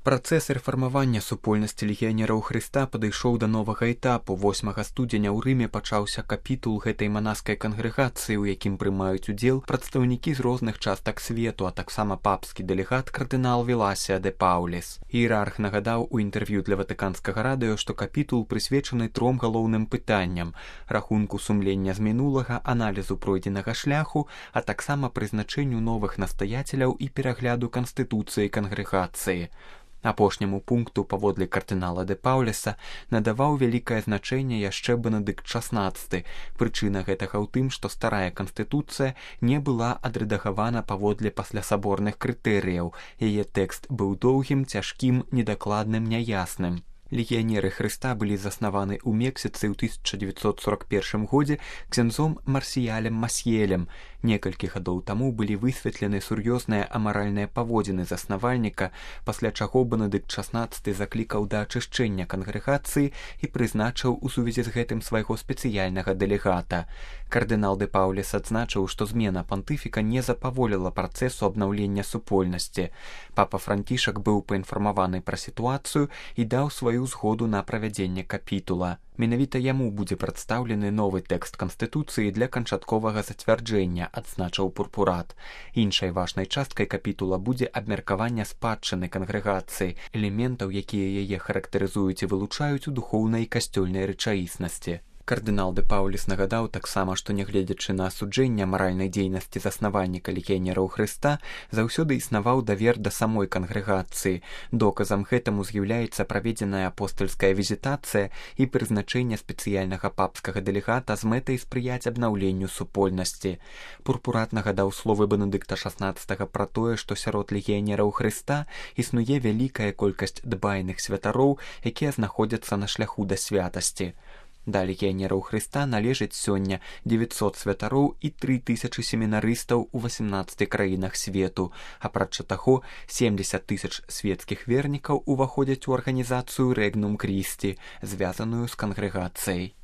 Працэс рэфармавання супольнасці легіянераў Хрыста падышоў да новага этапу. 8 студзеня ў Рыме пачаўся капітул гэтай манаскай кангрэгацыі, у якім прымаюць удзел прадстаўнікі з розных частак свету, а таксама папскі дэлегат кардынал Віласія де Пауліс. Іерарх нагадаў у інтэрв'ю для ватыканскага радыё, што капітул прысвечаны 3 галоўным пытанням: рахунку сумлення з мінулага, аналізу пройдзенага шляху, а таксама прызначэнню новых настаяцеляў і перагляду канстытуцыі кангрэгацыі. Апошняму пункту, паводле кардынала де Пауліса, надаваў вялікае значэнне яшчэ Бенедыкт XVI. Прычына гэтага ў тым, што старая канстытуцыя не была адрэдагавана паводле паслясаборных крытэрыяў. Яе тэкст быў доўгім, цяжкім, недакладным, няясным. Легіянеры Хрыста былі заснаваны ў Мексіцы ў 1941 годзе ксяндзом Марсіялем Масьелем. Некалькі гадоў таму былі высветлены сур'ёзныя амаральныя паводзіны заснавальніка, пасля чаго Бенедыкт XVI заклікаў да ачышчэння кангрэгацыі і прызначыў у сувязі з гэтым свайго спецыяльнага дэлегата. Кардынал де Пауліс адзначыў, што змена пантыфіка не запаволіла працэсу абнаўлення супольнасці. Папа Францішак быў паінфармаваны пра сітуацыю і даў сваю згоду на правядзенне капітула. Менавіта яму будзе прадстаўлены новы тэкст канстытуцыі для канчатковага зацвярджэння, адзначыў пурпурат. Іншай важнай часткай капітула будзе абмеркаванне спадчыны кангрэгацыі, элементаў, якія яе характарызуюць і вылучаюць у духоўнай і касцёльнай рэчаіснасці. Кардынал де Пауліс нагадаў таксама, што нягледзячы на асуджэнне маральнай дзейнасці заснавальніка легіянераў Хрыста, заўсёды існаваў давер да самой кангрэгацыі. Доказам гэтаму з'яўляецца праведзеная апостальская візітацыя і прызначэнне спецыяльнага папскага дэлегата з мэтай спрыяць абнаўленню супольнасці. Пурпурат нагадаў словы Бенедыкта XVI пра тое, што сярод легіянераў Хрыста існуе вялікая колькасць дбайных святароў, якія знаходзяцца на шляху да святасці. Да легіянераў Хрыста належыць сёння 900 святароў і 3000 семінарыстаў у 18 краінах свету. Апрача таго, 70 000 свецкіх вернікаў уваходзяць у арганізацыю Рэгнум Крісці, звязаную з кангрэгацыяй.